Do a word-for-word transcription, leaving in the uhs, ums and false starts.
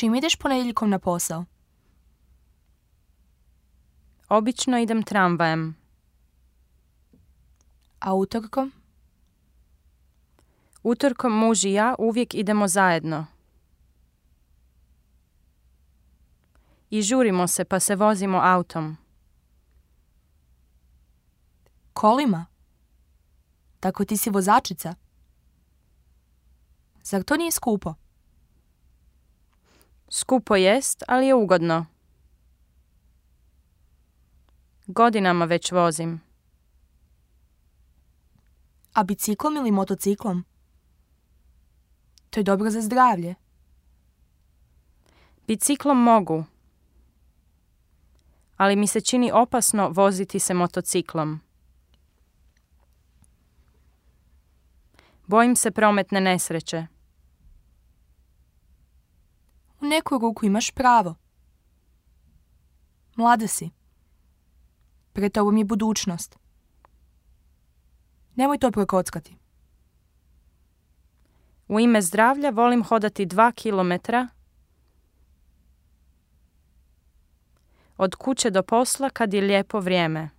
Čim ideš ponedjeljkom na posao? Obično idem tramvajem. A utorkom? Utorkom muž i ja uvijek idemo zajedno. I žurimo se pa se vozimo autom. Kolima? Tako ti si vozačica? Zar to nije skupo? Skupo jest, ali je ugodno. Godinama već vozim. A biciklom ili motociklom? To je dobro za zdravlje. Biciklom mogu, ali mi se čini opasno voziti se motociklom. Bojim se prometne nesreće. U neku ruku imaš pravo. Mlada si. Pred tobom je budućnost. Nemoj to prokockati. U ime zdravlja volim hodati dva kilometra od kuće do posla kad je lijepo vrijeme.